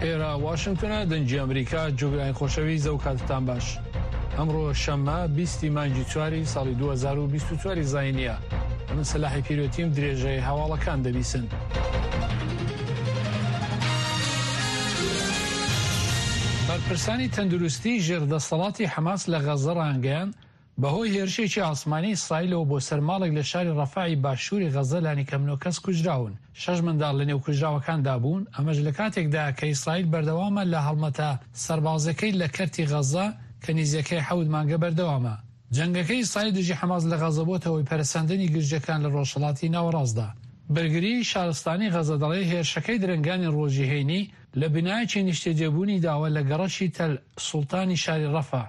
ئێرە واشنگتۆنە دەنگی ئەمریکا جوگرانی خۆشەویست ئەو کاتتان باش ئەمڕۆ شەممە بیستی مانگی چواری ساڵی 2024 زاینیە من سەلاحی پیرۆتیم درێژەی هەواڵەکان دەبیسن. بەرپرسانی تەندروستی ژێر دەسەڵاتی حەماس لە غەززە ڕایانگەیاند، بەهۆی هێرشێکی ئاسمانی ئیسرائیلەوە بۆ سەر ماڵێک لە شاری ڕەفەعی باشووری غەززە لانیکەم نۆ کەس کوژراون، شەش منداڵ لەنێو کوژراوەکاندا بوون، ئەمەش لەکاتێکدایە کە ئیسرائیل بەردەوامە لە هەڵمەتە سەربازیەکەی لە کەرتی غەززە کە نیزیەکەی حەوت مانگە بەردەوامە. جەنگەکەی ئیسرائیل دژی حەماس لە غەزە بۆتە هۆی پەرەسەندنی گرژییەکان لە ڕۆژهەڵاتی ناوەڕاستدا. بەرگریی شارستانی غەزە دەڵێت هێرشەکەی درەنگانی ڕۆژی هەینی لە بینایەکی نیشتەجێبوونی داوە لە گەڕەکی تەل سوڵتانی شاری ڕەفە.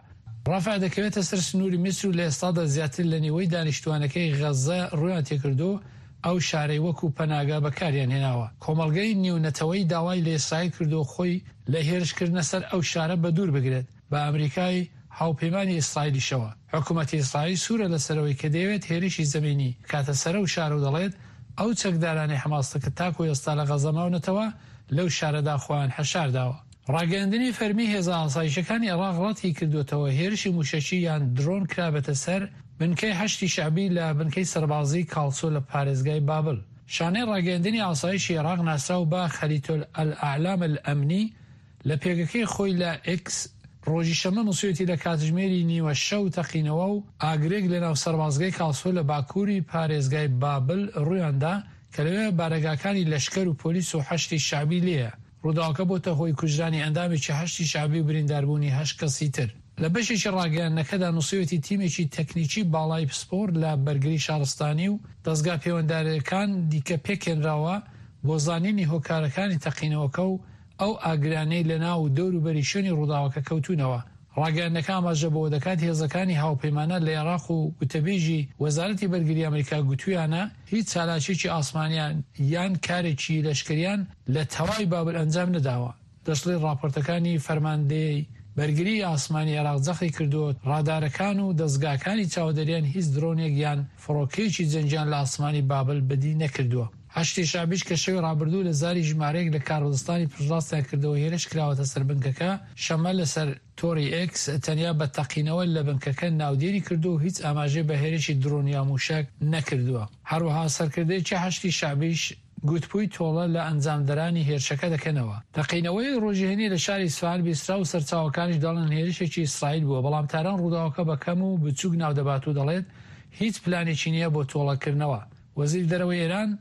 ڕەفە دەکەوێتە سەر سنووری میسر و لە ئێستادا زیاتر لە نیوەی دانیشتووانەکەی غەزە ڕوویان تێکردووە و ئەو شارەی وەکو پەناگە بەکاریان هێناوە. کۆمەڵگەی نیونەتەوەیی داوای لە ئیسرائیل کردووە خۆی لە هێرشکردنە سەر ئەو شارە بەدوور بگرێت. بە ئەمریکای هاوپەیمانی ئیسرائیلیشەوە. حکومەتی ئیسرائیل سوورە لەسەر ئەوەی کە دەیەوێت هێرشی زەمینی بکاتە سەر ئەو شارە و دەڵێت، ئەو چەکدارانەی حەماس کە تاکو ئێستا لە غەزە ماونەتەوە لەو شارەدا خۆیان حەشارداوە. ڕاگەیاندنی فەرمی، هێزە ئاسایشەکانی عێراق ڕەتی کردووەتەوە هێرشی مووشەکی یان درۆن کرابێتە سەر بنکەی حەشدی شەعبی لە بنکەی سەربازیی کاڵسۆ لە پارێزگای بابل. شانەی ڕاگەیاندنی ئاسایشی عێراق ناسراو بە خەریتۆل ئەلئەعلام ئەلئەمنی لە پێگەکەی خۆی لە ئێکس ڕۆژی شەممە نووسیویەتی لە کاتژمێری نیوە شەو تەقینەوە و ئاگرێک لەناو سەربازگەی کاڵسۆ لە باکووری پارێزگای بابل ڕوویاندا کە لەوێ بارەگاکانی لەشکەر و پۆلیس و حەشدی شەعبی لێیە. ڕووداوەکە بۆتە هۆی کوژرانی ئەندامێکی حەشدی شەعبی و برینداربوونی هەشت کەسی تر. لە بەشێکی ڕاگەیاندنەکەدا نووسیویەتی تیمێکی تەکنیکی باڵای پسپۆر لە بەرگری شارستانی و دەزگا پەیوەندارەکان دیکە پێکهێنراوە بۆ زانینی هۆکارەکانی تەقینەوەکە و ئەو ئاگرانەی لە ناو و دەور و بەری شوێنی ڕووداوەکە کەوتوونەوە. ڕاگەیاندنەکە ئاماژە بەوە دەکات هێزەکانی هاوپەیمانان لە ئێراق و گوتەبێژی وەزارەتی بەرگری ئەمریکا گوتوویانە هیچ چالاکیەکی ئاسمانیان یان کارێکی لەشکریان لە تەواوی بابل ئەنجام نەداوە. دەشڵێت ڕاپۆرتەکانی فەرماندەیی بەرگریی ئاسمانی ئێراق جەختی کردووە ڕادارەکان و دەزگاکانی چاودێریان هیچ درۆنێک یان فڕۆکەیەکی جەنگیان لە ئاسمانی بابل بەدی نەکردووە. حەشدی شەعبیش کە شەوی ڕابردوو لە زاری ژمارەیەک لە کاربەدەستانی پشتڕاستیان کردەوە هێرش کراوەتە سەر بنکەکە، شەممە لەسەر تۆڕی ئێکس تەنیا بە تەقینەوە لە بنکەکە ناودێری کردووە و هیچ ئاماژەی بە هێرشی درۆن یا مووشەک نەکردووە. هەروەها سەرکردەیەکی حەشدی شەعبیش گوتبووی تۆڵە لە ئەنجامدەرانی هێرشەکە دەکەنەوە. تەقینەوەی ڕۆژی هەینی لە شاری ئیسفەهان بیسترا و سەرچاوەکانیش دەڵێن هێرشێکی ئیسرائیل بووە، بەڵام تاران ڕووداوەکە بە کەم و بچووک ناودەبات و دەڵێت هیچ پلانێکی نییە بۆ تۆڵەکردنەوە. وەزیری دەرەوەی ئێران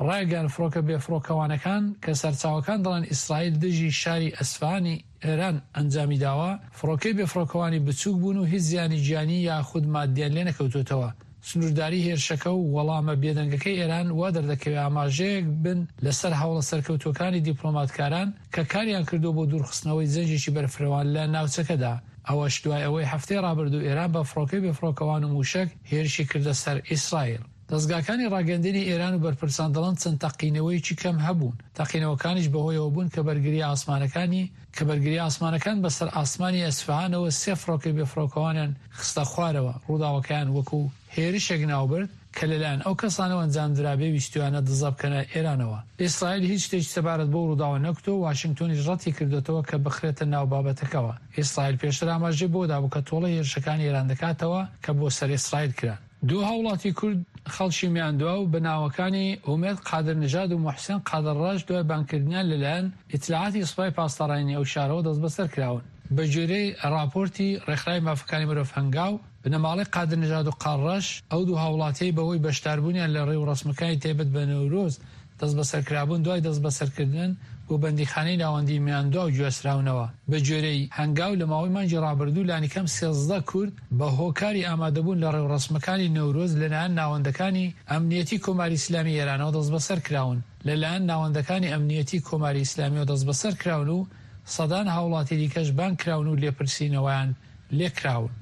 ڕایگەیاند فڕۆکە بێفڕۆکەوانەکان کە سەرچاوەکان دەڵێن ئیسرائیل دژی شاری ئەسفەهانی ئێران ئەنجامی داوە، فڕۆکەی بێفڕۆکەوانی بچووک بوون و هیچ زیانی گیانی یاخود ماددیان لێنەکەوتووەتەوە. سنوورداری هێرشەکە و وەڵامە بێدەنگەکەی ئێران وا دەردەکەوێ ئاماژەیەک بن لەسەر هەوڵە سەرکەوتووەکانی دیپلۆماتکاران کە کاریان کردووە بۆ دوورخستنەوەی جەنگێکی بەرفرەوان لە ناوچەکەدا. ئەوەش دوای ئەوەی هەفتەی ڕابردوو ئێران بە فڕۆکەی بێفڕۆکەوان و مووشەک هێرشی کردە سەر ئیسرائیل. دەزگاکانی ڕاگەیاندنی ئێران و بەرپرسان دەڵێن چەند تەقینەوەیەکی کەم هەبوون، تەقینەوەکانیش بەهۆیەوە بوون کە بەرگرییە ئاسمانەکانی کە بەرگرییە ئاسمانەکان بەسەر ئاسمانی ئەسفەهانەوە سێ فڕۆکەی بێفڕۆکەوانیان خستە خوارەوە، ڕووداوەکەیان وەکو هێرشێک ناوبرد کە لەلایەن ئەو کەسانەوە ئەنجامدرابێ ویستویانە دزە بکەنە ئێرانەوە. ئیسرائیل هیچ شتێکی سەبارەت بەو ڕووداوە نەگوتووە، واشنگتۆنیش ڕەتی کردۆتەوە کە بخرێتە ناو بابەتەکەوە. ئیسرائیل پێشتر ئاماژەی بەوە دابوو کە تۆڵەی هێرشەکانی ئێران دەکاتەوە کە بۆ سەر ئیسرائیل کران. دوو هاوڵاتی کورد خەڵکی میاندواو بە ناوەکانی ئومێد قادرنژاد و موحسێن قادرڕەش دوای بانگکردنیان لەلایەن ئیتلاعاتی سوپای پاسدارانی ئەو شارەوە دەستبەسەر کراون. بەگوێرەی ڕاپۆرتی ڕێکخراوی مافەکانی مرۆڤ هەنگاو، بنەماڵەی قادرنژاد و قارڕەش ئەو دوو هاوڵاتیەی بەهۆی بەشداربوونیان لە ڕێوڕەسمەکانی تایبەت بە نەورۆز دەستبەسەرکرابوون، دوای دەستبەسەرکردن بۆ بەندیخانەی ناوەندیی میاندواو گواستراونەوە. بەگوێرەی هەنگاو، لە ماوەی مانگی ڕابردوو لانیکەم 13 کورد بە هۆکاری ئامادەبوون لە ڕێوڕەسمەکانی نەورۆز لەلایەن ناوەندەکانی ئەمنیەتی کۆماری ئیسلامیی ئێرانەوە دەستبەسەر کراون. لەلایەن ناوەندەکانی ئەمنیەتی کۆماری ئیسلامییەوە دەستبەسەر کراون و سەدان هاوڵاتی دیکەش بانگ کراون و لێپرسینەوەیان لێکراون.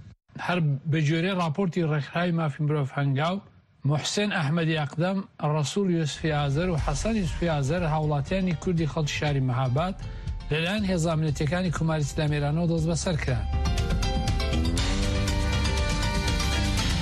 هەر بەگوێرەی ڕاپۆرتی ڕێکخراوی مافی مرۆڤ هەنگاو، موحسێن ئەحمەدی ئەقدەم، ڕەسووڵ یوسفی ئازەر و حەسەن یوسفی ئازەر هاوڵاتیانی کوردی خەڵکی شاری مەهاباد لەلایەن هێزە ئەمنیەتییەکانی کۆماری ئیسلامی ئێرانەوە دەستبەسەر کران.